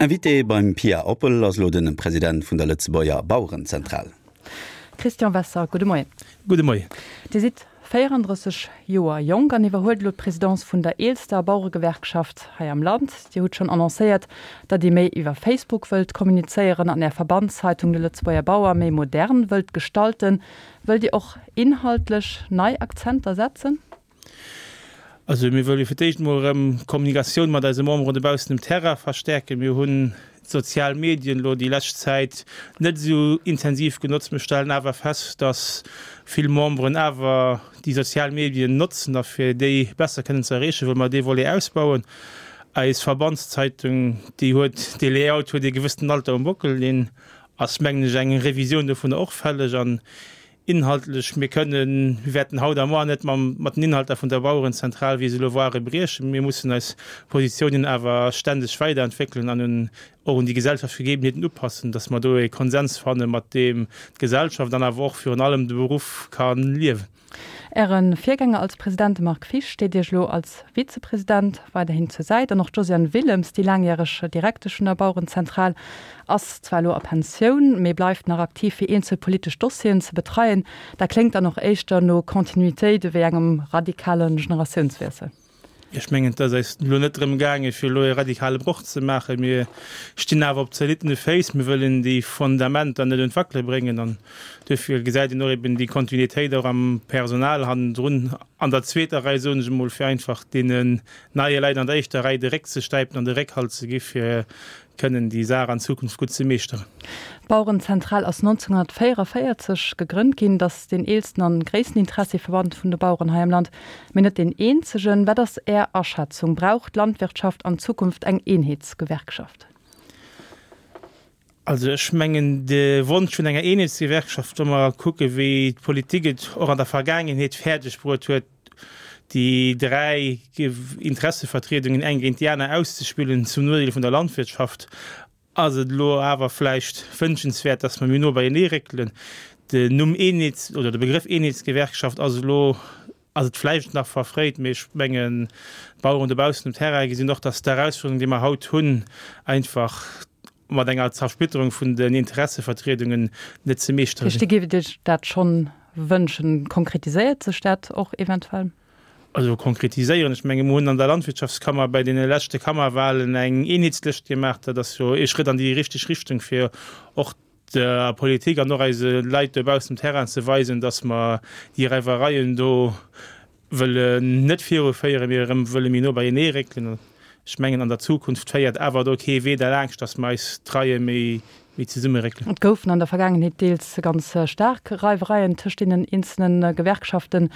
Invité beim Pia Oppel ass elo den President vun der Lëtzebuerger Bauerenzentral. Christian Wesser, gudde Moien. Gudde Moien. Dir sidd 34 Joer jonk an iwwerhuelt elo d'Presidence vun der eelster Baueregewerkschaft hei am Land. Dir hutt schonn annoncéiert, datt Dir méi iwwer Facebook wëllt kommunizéieren an Är Verbandszeitung De Lëtzebuerger Bauer méi modern wëllt gestalten. Wëllt Dir och inhaltlech nei Akzenter setzen? Also mir wëlle fir d'éischt emol erëm d'Kommunikatioun mat eise Memberen dobaussen um Terrain verstärken. Mir hunn d'sozial Medien elo déi lescht Zäit net esou intensiv genotzt. Mir stellen awer fest, dass vill Memberen awer déi sozial Medien notzen a fir déi besser kënnen ze erreechen, wëlle mer dee Volet ausbauen. Eis Verbandszeitung, déi huet, dee Layout huet ee gewëssenen Alter um Bockel, deen ass mengen ech eng Revisioun dovunner och fälleg an Inhaltlech, mir kënnen, mir wäerten haut a moar net mam, mat den Inhalter vun der Bauerenzentral, wéi se elo ware, briechen. Mir mussen eis Positiounen awer ständeg weiderentwéckelen an un, och un déi gesellschaftlech Gegebenheeten upassen, dass mer do e Konsens fannen, mat deem d'Gesellschaft an awer och virun allem de Beruff ka liewen. Äre Virgänger als President, de Marc Fisch, steet Iech elo als Vizepresident weiderhin zur Säit. An och d'Josiane Willems, déi laangjäreg Direktesch vun der Bauerenzentral, ass zwar elo a Pensioun, mee bleift nach aktiv fir eenzel politesch Dossieren ze betreien. Dat kléngt dann och éischter no Continuitéit ewéi engem radikale Generatiounswiessel. Ech mengen, et ass eis elo net drëm gaangen, fir elo e radikale Broch ze maachen. Mir stinn awer op zoliddene Féiss. Mir wëllen déi Fundamenter net un d'Wackele bréngen. An duerfir gesäit een och eben déi Kontinuitéit och am Personal hannendrun, an der zweeter Rei, soen ech emol, fir einfach deenen neie Leit an der éischter Rei de Réck ze stäipen an de Réckhalt ze gi fir kënnen déi Saach an Zukunft gutt ze meeschteren. D'Bauerenzentral ass 1944 gegrënnt ginn. Et ass deen eelsten an gréissten Interessieverband vun de Baueren hei am Land, mee net deen eenzegen. Wat ass Är Aschätzung, Brauch d'Landwirtschaft an Zukunft eng Eenheetsgewerkschaft? Also ech mengen, de Wonsch vun enger Eenheetsgewerkschaft, wa mer kucke wéi d'Politik et och an der Vergaangenheet fäerdeg bruet huet, déi 3 Interessevertriedungen eng géint déi aner auszespillen zum Nodeel vun der Landwirtschaft, ass et elo awer vläicht wënschenswäert, dass mer méi no beienee réckelen. Den Numm Eenheets oder de Begrëff Eenheetsgewerkschaft ass elo, ass et vläicht nach verfréit, mee ech mengen, d'Baueren dobaussen um Terrain gesinn och, dass d'Erausfuerderung, déi mer haut hunn, einfach mat enger Zersplitterung vun den Interessevertriedungen net ze meeschteren sinn. Dir géift Iech dat schonn wënschen. Konkretiséiert sech dat och eventuell? Also konkretiséieren, ech menge mer hunn an der Landwirtschaftskammer bei deene leschte Kammerwahlen eng Eenheetslëscht gemaach. Dat ass jo ee Schrëtt an déi richteg Richtung, fir och der Politik an och eise Leit dobaussen um Terrain ze weisen, datt mer déi Reiwereien do wëllen net viruféieren, mee erëm wëlle méi no beienee réckelen. Ech mengen, an der Zukunft féiert awer do kee Wee derlaanscht, datt mer eis d'Reie méi zesummeréckelen. Et goufen an der Vergaangenheet deels ganz staark Reiwereien tëscht deenen eenzelne Gewerkschaften.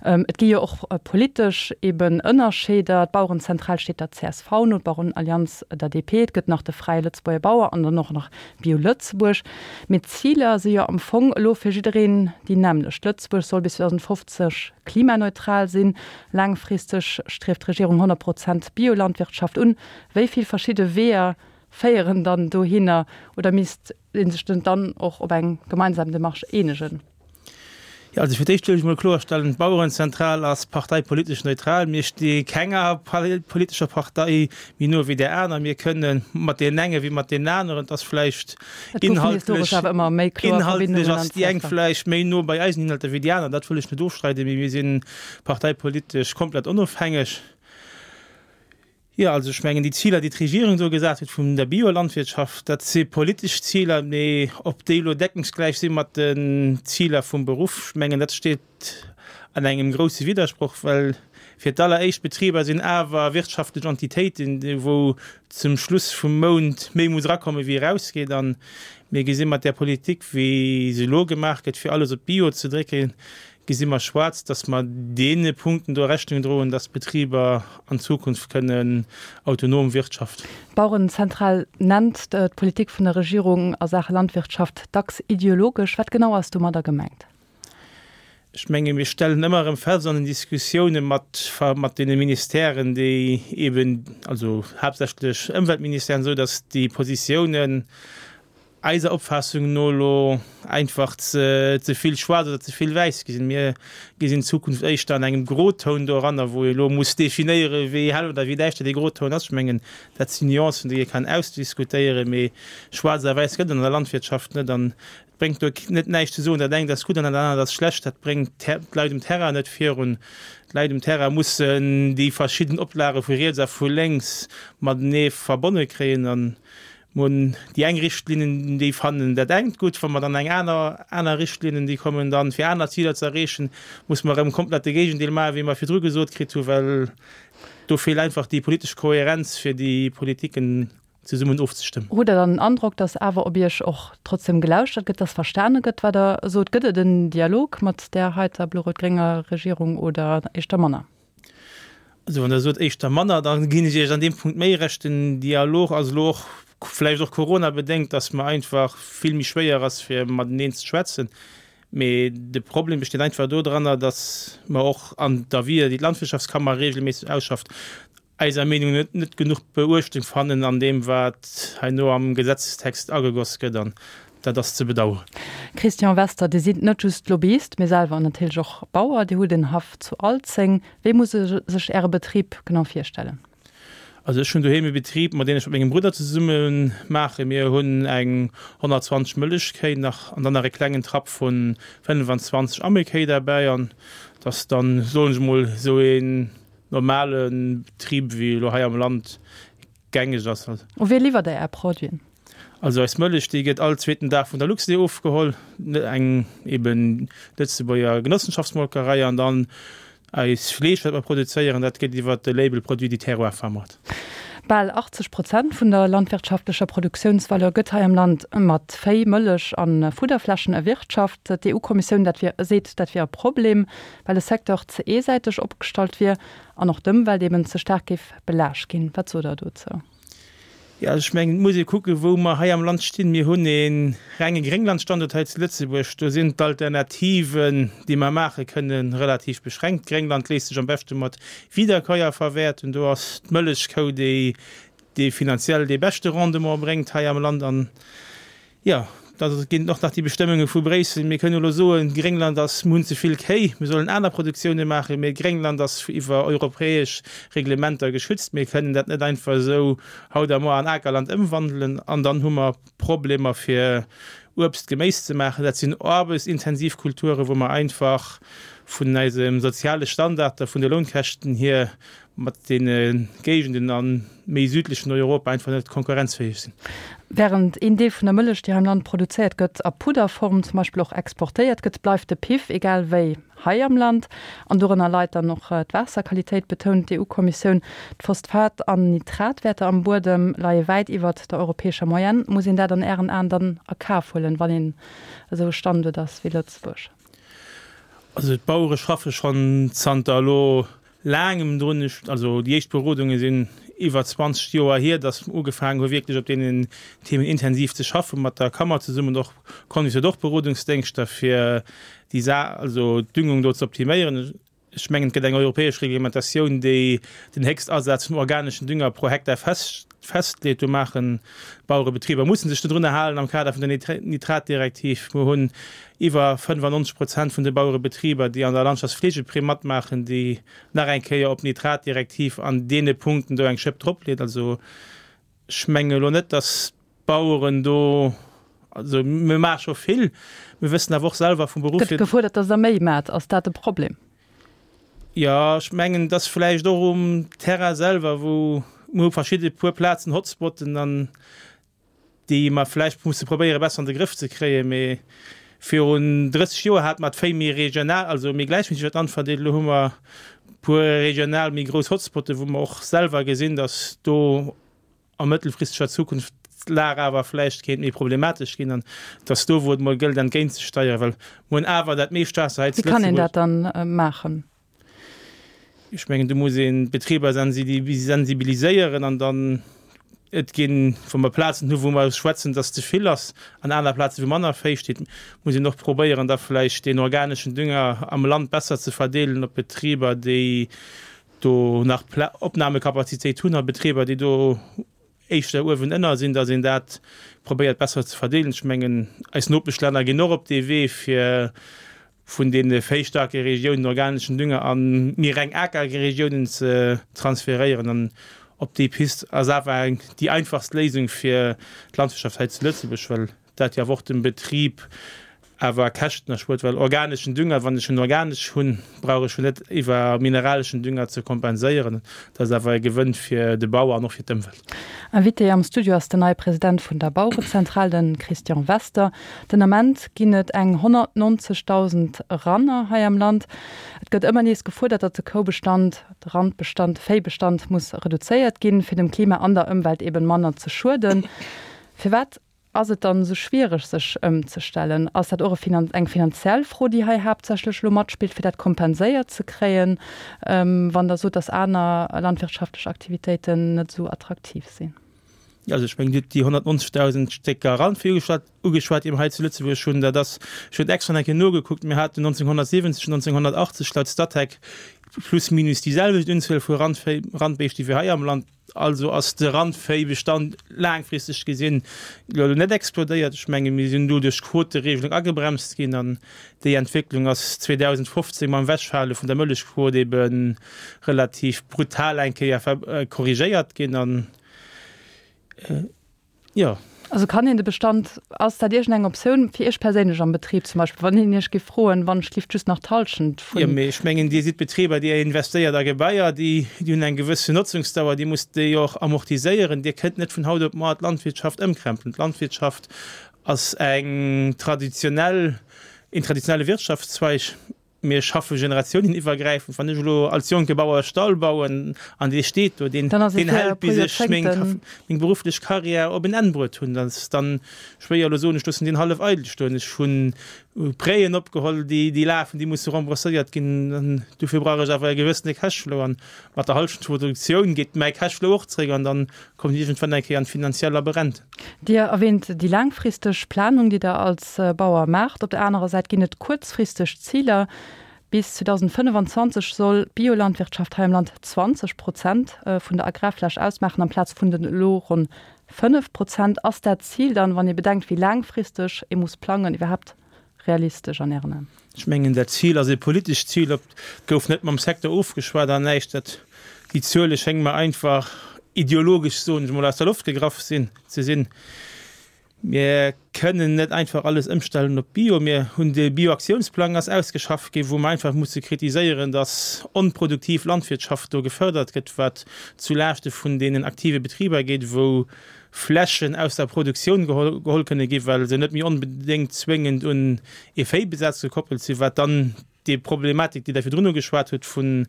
Et gi jo och politesch eben Ënnerscheeder. D'Bauerenzentral steet der csv no, d'Bauerenallianz der DP. Et gëtt nach de Fräie Lëtzebuerger Bauer an dann och nach Bio Lëtzebuerg. Mee d'Ziler si jo am Fong elo fir jiddereen déi nämmlecht. Lëtzebuerg soll bis 2050 klimaneutral sinn. Laangfristeg strieft d'Regierung 100 Prozent Biolandwirtschaft un. Wéi vill verschidde Weeër féieren dann dohinner? Oder misst ee sech net dann och op eng gemeinsam Demarche eenegen? Jo, also fir d'éischt wëll ech emol kloerstellen, D'Bauerenzentral ass parteipolitesch neutral. Mir sti kenger politescher Partei méi no wéi där aner. Mir kënne mat deenen enge wéi mat deenen aneren. Et ass vläicht inhaltlech, inhaltlech ass déi eng vläicht méi no bei eisen Inhalter wéi déi aner. Dat wëll ech net ofstreiden, mee mir si parteipolitesch komplett onofhängeg. Jo, also ech mengen, déi Ziler, déi d'Regierung do gesat huet vun der Biolandwirtschaft, dat si politesch Ziler, mee ob déi elo deckungsgläich si mat den Ziler vum Beruff, ech mengen, dat steet an engem grousse Widdersproch, well fir d'alleréischt d'Betriber sinn awer wirtschaftlech Entitéiten, wou zum Schluss vum Mount méi muss erakomme wéi erausgeet. A mir gesi mat där Politik, wéi se elo gemaach gëtt, fir alles op Bio ze drécken, gesi mer schwaarz, dass mer deene Punkten do Rechnung droen, dass d'Betriber an Zukunft kënnen autonom wirtschaften. D'Bauerenzentral nennt d'Politik vun der Regierung a Saache Landwirtschaft dacks ideologesch. Wat genau ass domadder gemengt? Ech menge mir stellen ëmmer erëm fest an den Diskussioune mat mat deene Ministèren, déi eeben, also haaptsächlech Ëmweltministère an esou, dass déi Positiounen. Eiser Opfaassung no elo einfach ze vill schwaarz oder ze vill wäiss gesinn. Mir gesinn d'Zukunft éischter an engem Grotoun doranner, wou ee elo muss definéieren, wéi hell oder wéi däischter dee Grotoun ass. Ech mengen, dat sinn Nuancen, déi ee kann ausdiskutéieren, mee schwaarz a wäiss gëtt et an der Landwirtschaft net. An et bréngt do net näischt ze soen, dat engt ass gutt an dat anert ass schlecht. Dat bréngt d'Leit um Terrain net virun. D'Leit um Terrain mussen déi verschidden Oplage vu riets a vu lénks matenee verbonne kréien. An Mir hunn déi eng Richtlinnen, déi fannen dat engt gutt. Wa mer dann eng aner, aner Richtlinnen, déi kommen dann, fir aner Ziler ze erreechen, muss mer erëm komplett de Géigendeel maachen, wéi mer virdru gesot kritt hunn, well do feelt einfach déi politesch Kohärenz, fir déi Politiken zesummen ofzestëmmen. Hutt Der dann den Androck, datt awer op Iech och trotzdem gelauschtert gëtt, datt verstane gëtt, wat Der sot? Gëtt et en Dialog mat där heiter blo-rot-grénger Regierung oder éischter manner? Also wann Der sot éischter manner, da ginn ech Iech an deem Punkt méi Recht. Den Dialog ass elo och vläicht och coronabedéngt, datt mer einfach vill méi schwéier ass fir mateneen ze schwätzen. Mee de Problem besteet einfach dodranner, datt mer och an d'Avisë, déi d'Landwirtschaftskammer regelméisseg ausschafft, eiser Meenung no net genuch Beuechtung fannen an deem, wat herno am Gesetzestext agegoss gëtt. An dat ass ze bedauern. Christian Wester, Dir sidd net just Lobbyist, mee selwer natierlech och Bauer. Dir hutt en Haff zu Alzeng. Wéi muss ee sech Äre Betrib genau virstellen? Also ech hunn doheem e Betrib, mat deen ech mat mengem Brudder zesumme maachen. Mir hunn eng 120 Mëllechkéi nach an dann nach e klengen Trapp vu 25 Ammekéi derbäi. An dat ass dann, soen ech emol, esou een normale Betrib, wéi elo hei am Land gängeg ass. U wie liwwert Der Är Produiten? Also eis Mëllech, déi gëtt all zweeten Dag vun der Luxlait ofgeholl, eng eben Lëtzebuerger Genossenschaftsmolkerei, an dann eis Fleesch, wat mer produzéieren, dat gëtt iwwert de Label Produit du terroir vermat. Bal 80 Prozent vun der landwirtschaftlecher Produktiounsvaleur gëtt hei am Land mat Véi, Mëllech a Fudderflächen erwirtschaft. D'EU-Kommissioun dat wier seet, dat wier e Problem, well de Secteur ze eesäiteg opgestallt wier an och d'Ëmwelt eben ze staark géif belaascht ginn. Wat sot Der dozou? Jo, ech mengen, et muss ee kucken, wou mer hei am Land stinn. Mir hunn ee renge Grénglandstanduert hei zu Lëtzebuerg. Do sinn d'Alternativen, déi mer maache kënnen, relativ beschränkt. Gréngland léisst sech am beschte mat Wiederkäuer verwäerten. Do ass d'Mëllechkou déi, déi finanziell dee beschte Rendement bréngt hei am Land. An Jo, da ginn et och nach déi Bestëmmunge vu Bréissel. Mir kënnen elo soen, Gréngland ass, mir hunn ze vill Kéi, mir sollen aner Produktioune maachen, mee Gréngland ass iwwer europäesch Reglementer geschützt. Mir kënnen dat net einfach esou haut a muer an Akerland ëmwandelen an dann hu mer Problemer fir Uebst, Geméis ze maachen. Dat sinn aarbechtsintensiv Kulture wou mer einfach vun eisem soziale Standard a vun de Lounkäschten hier mat deene Géigenden a méi südlechen Europa einfach net konkurrenzfähig sinn. Während een Deel vun der Mëllech, déi hei am Land produzéiert gëtt, a Pudderform zum Beispill och exportéiert gëtt, bleift de Piff egal wéi hei am Land. An dorënner leit dann och d'Waasserqualitéit, betount d'EU-Kommissioun. D'Phosphat an Nitratwäerter am Buedem leie wäit iwwert der europäescher Moyenne. Muss een dat an Ären Aen dann a Kaf huelen, wann een esou e Standuert ass wéi Lëtzebuerg? Also d'Bauere schaffe schonn zanter elo laangem drun. Ech, also déi éischt Berodunge sinn iwwer 20 Joer hier, datt mer ugefaangen hu wierklech op deenen Themen intensiv ze schaffen, mat der Kammer zesummen och. Convis huet och Berodungsdéngschter fir déi Sa, also d'Düngung do ze optiméieren. Ech mengen, et gëtt eng europäesch Reglementatioun, déi den Héchstasaz vum organeschen Dünger pro Hektar fest, festleet. Do maachen d'Bauerebetriber musse sech dodrunner halen am Kader vun der Nitratdirektiv. Mir hunn iwwer 95 Prozent vun de Bauerebetriber, déi an der Landschaftspflegeprimm matmaachen, déi nach eng Kéier op d'Nitratdirektiv an deene Punkten do eng Schëpp dropleet. Also ech menge elo net, datt d'Baueren do, also mir maache scho vill, mir wëssen awer och selwer vum Beruff hier. Gëtt gefuerdert, datt Der méi maacht. Ass dat e Problem? Jo, ech mengen, et ass vläicht och um Terrain selwer, wou mir hu verschidde puer Plazen, Hotspotten, an déi mer vläicht musse probéiere besser an de Grëff ze kréien. Mee virun 30 Joer hate mer d'Véi méi regional, also méi gläichméisseg iwwer d'Land verdeelt. Elo hu mer e puer regional méi grouss Hotspotten, wou mer och selwer gesinn, datt do a mëttelfristeger Zukunft d'Lag awer vläicht kéint méi problematesch ginn an datt do, wou et mol gëllt, entgéintzesteieren, well mer hunn awer dat meescht Waasser hei zu Lëtzebuerg. Wéi kann een dat dann maachen? Ech mengen, do muss een d'Betriber sensibiliséieren an dann, et ginn, wa mer Plazen hu wou mer schwätzen, dass ze vill ass, an aner Plaze wou manner Véi steet, muss een och probéieren, da vläicht deen organeschen Dünger am Land besser ze verdeelen op Betriber, déi do nach Opnamekapazitéit hunn a Betriber, déi do. éischter uewen ënner sinn, datt een dat probéiert besser ze verdeelen. Ech mengen, eis Nopeschlänner ginn och op dee Wee, fir vun deene véistarke Regiounen organeschen Dünger a méi reng Akerregiounen ze transferéieren. An op déi Pist ass awer eng déi einfachst Léisung fir d'Landwirtschaft hei zu Lëtzebuerg, well dat jo awer och dem Betrib awer Käschten erspuert, well organeschen Dünger, wann ech en organesch hunn, brauch ech jo net iwwer mineraleschen Dünger ze kompenséieren. Dat ass awer e Gewënn fir de Bauer an och fir d'Ëmwelt. Invité am Studio ass den neie President vun der Bauerezentral, de Christian Wester. Den Ament ginn et eng 190.000 Ranner hei am Land. Et gëtt ëmmer nees gefuerdert, datt de Koubestand, de Randbestand, de Véibestand muss reduzéiert ginn, fir dem Klima an der Ëmwelt eben manner ze schueden. Firwat Ass et dann esou schwiereg sech ëmzestellen? Ass dat och eng finanziell Fro, déi hei haaptsächlech elo matspillt, fir dat kompenséiert ze kréien, wann Der sot, datt aner landwirtschaftlech Aktivitéiten net esou attraktiv sinn? Also ech mengen, Dir hutt déi 190.000 Stécker Randvieh ugeschwat, déi mer hei zu Lëtzebuerg hunn. Dat ass, ech hunn extra nach eng Kéier nogekuckt, mir haten 1970, 1980 laut Statec plus minus déi selwecht Unzuel vu Randvéi, Randbéischte wéi hei am Land. Also ass de Randvéibestand laangfristeg gesinn elo net explodéiert. Ech menge mir sinn do duerch d'Quoteregelung agebremst ginn an déi Entwécklung ass 2015 mam Ewechfale vun der Mëllechquot ebe relativ brutal eng Kéier korrigéiert ginn an Jo. Also kann een de Bestand, ass dat iergendeng Optioun fir Iech perséinlech am Betrib zum Beispill, wann een Iech géif froen, wann ech lift just nach d'Hallschent vun. Jo, mee ech mengen, Dir sidd Betriber, Dir investéiert a Gebaier, déi hunn eng gewëssen Notzungsdauer, Dir musst déi och amortiséieren. Dir kënnt net vun haut op muer d'Landwirtschaft ëmkrempelen. D'Landwirtschaft ass eng traditionell, een traditionelle Wirtschaftszweig. Mir schaffe generatiounen-iwwergräifend. Wann ech elo als jonke Bauer e Stall bauen an dee steet do, deen hält bis ech meng berufflech Karriär op en Enn bruet hunn. Dat ass dann schwéier elo soen, ech loossen deen hallef eidel stoen. Ech hu Prêten opgeholl, déi lafen, déi musse rembourséiert ginn. An dofir brauch ech awer e gewëssene Cashflow. An mat der Hallschent vun der Produktioun geet mäi Cashflow och zréck an dann kommen ech iergendwann eng Kéier an d'finanziell Labyrinth. Dir erwähnt déi laangfristeg Planung, déi Der als Bauer maacht. Op der anerer Säit ginn et kuerzfristeg Ziler. Bis 2025 soll d'Biolandwirtschaft hei am Land 20 Prozent vun der Agrarfläch ausmaachen, amplaz vun den elo ronn 5 Prozent. Ass dat Zil dann, wann ee bedenkt, wéi laangfristeg ee muss plangen, iwwerhaapt realistesch an Ären Aen? Ech mengen, dat Zil ass e politescht Zil. Et gouf net mam Secteur ofgeschwat an näischt. Dat, déi Zuele schénge mer einfach ideologesch, soen ech emol, aus der Loft gegraff sinn, ze sinn. Mir kënnen net einfach alles ëmstellen op Bio. Mir hunn de Bioaktiounsplang ass ausgeschafft ginn, wou mer einfach musse kritiséieren, dass onproduktiv Landwirtschaft do gefërdert gëtt, wat zu Laaschte vun deenen aktive Betriber geet, wou Flächen aus der Produktioun geholl kënne ginn, well se net méi onbedéngt zwéngend un ee Véibesaz gekoppelt sinn, wat dann déi Problematik, déi Der virdrun ugeschwat hutt, vun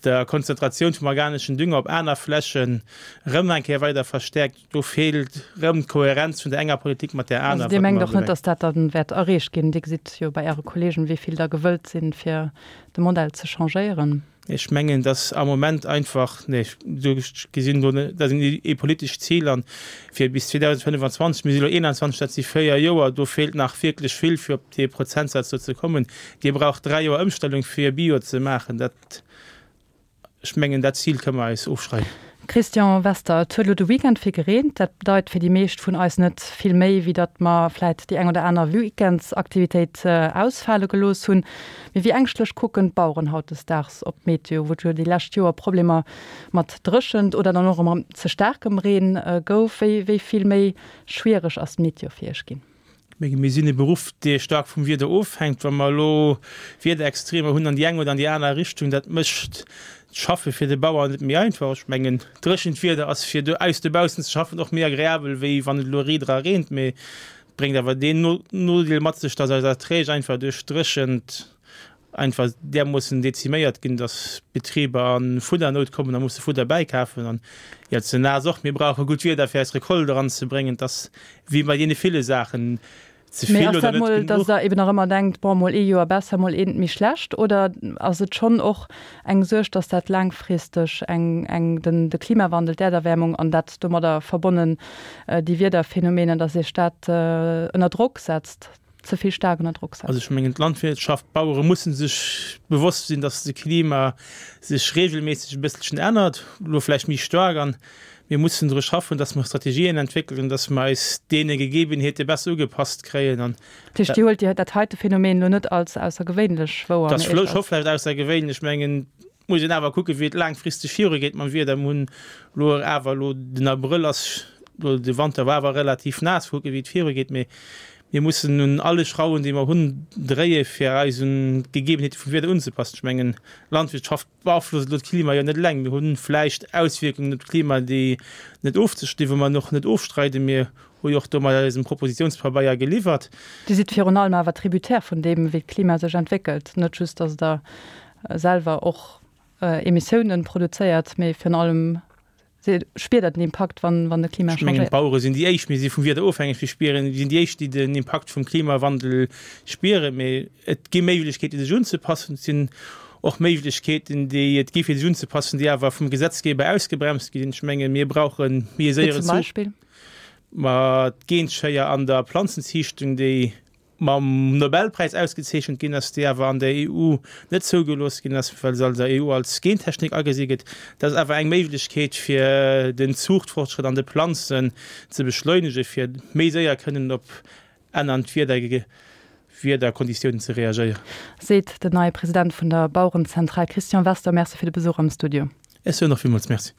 der Konzentratioun vum organeschen Dünger op aner Flächen erëm eng Kéier weider verstäerkt. Do feelt erëm d'Kohärenz vun der enger Politik mat där aner. Also Dir mengt och net, datt dat dann wäert erreecht ginn? Dir gesitt jo bei Äre Kollegen, wéi vill der gewëllt sinn, fir de Modell ze changéieren. Ech mengen, dass am Moment einfach, nee, ech gesinn do net, dat ass ee politescht Zil an fir bis 2025, mir si elo 21, dat si véier Joer, do feelt nach wierklech vill, fir op dee Prozentsaz do ze kommen. Dir braucht dräi Joer Ëmstellung, fir Bio ze maachen. Dat, ech mengen, dat Zil kënne mer eis ofschreiwen. Christian Wester, Et huet elo de Weekend vill gereent. Dat bedeit fir déi meescht vun eis net vill méi, wéi datt mer vläit déi eng oder aner Weekendsaktivitéit ausfale gelooss hunn. Mee wéi ängschtlech kucken d'Baueren hautdesdaags op d'Meteo, wou et jo déi lescht Joer Problemer mat Dréchent oder dann och erëm ze staarkem Reen gouf? Wéi wéi vill méi schwiereg ass d'Meteo fir Iech ginn? Ech menge mir sinn e Beruff, dee staark vum Wieder ofhänkt. Wa mer elo Wiederextremer hunn an déi eng oder an déi aner Richtung, dat mécht d'Schaffe fir de Bauer net méi einfach. Ech mengen, dréchent Wieder ass fir aus dobaussen ze schaffen och méi agreabel, wéi wann et elo riit era reent. Mee et bréngt awer deen Nodeel mat sech, datt eis Erträg einfach duerch d'Dréchent einfach därmoossen deziméiert ginn, dass d'Betriber a Fuddernout kommen a musse Fudder bäikafen. An jo, ze naass och. Mir brauche gutt Wieder, fir eis Recolte eranzebréngen. Et ass wéi bei deene ville Saachen, ze vill oder net genuch. Dass Der eben nach ëmmer denkt, bon, mol ee Joer besser, mol eent méi schlecht? Oder ass et schonn och eng Suerg, dass dat laangfristeg eng, eng, den, de Klimawandel, d'Äerderwäermung an dat domadder verbonnen déi Wiederphänomenen, dass Iech dat ënner Drock setzt? Ze vill staark ënner Drock setzt? Also ech mengen d'Landwirtschaft, d'Bauere musse sech bewosst sinn, datt de Klima sech regelméisseg e bësselchen ännert, elo vläicht méi staark an mir mussen dru schaffen, datt mer Strategien entwéckelen, datt mer eis deene Gegebenheete besser ugepasst kréien an Dat heescht, Dir huelt Dir dat heite Phänomen elo net als aussergewéinlech wouer, Dat ass scho vläicht aussergewéinlech. Ech mengen, et muss een awer kucken, wéi et laangfristeg virugeet mam Wieder. Mir hunn elo awer elo, den Abrëll ass elo, de Wanter war awer relativ naass, kucken, wéi et virugeet. Mee mir mussen un alle Schrauwen, déi mer hunn, dréie fir eis un d'Gegebenheete vum Wieder unzepassen. Ech mengen, d'Landwirtschaft beaflosst elo d'Klima jo net eleng. Mir hu vläicht Auswierkungen op d'Klima, déi net ofzestinn, wou mer och net ofstreiden. Mir hu jo och do mat eisem Propositionspabeier geliwwert. Dir sidd virun allem awer Tributaire vun deem, wéi d'Klima sech entwéckelt. Net just, datt Der selwer och Emissiounen produzéiert, mee virun allem spiert Der den Impakt, wann de Klima changéiert. Ech mengen, d'Bauere sinn déi éischt, mir si vum Wieder ofhängeg, mir spieren, mir sinn déi éischt, déi den Impakt vum Klimawandel spieren. Mee et gi Méiglechkeeten, sech unzepassen. Et sinn och Méiglechkeeten, déi et gi fir sech unzepassen, déi awer vum Gesetzgeber ausgebremst ginn. Ech menge mir brauche méi e séieren Zuch. Wéi zum Beispill? Ma d'Genschéier an der Planzenziichtung, déi mam Nobelpräis ausgezeechent ginn ass, déi awer an der EU net zougelooss ginn ass, well se an der EU als Gentechnik agesi gëtt. Dat ass awer eng Méiglechkeet, fir den Zuuchtfortschrëtt an de Planzen ze beschleunegen, fir méi séier kënnen op ännernd Wiederkonditiounen ze reagéieren. Seet den neie President vun der Bauerenzentral Christian Wester. Merci fir de Besuch am Studio. Ech soen och villmools Merci.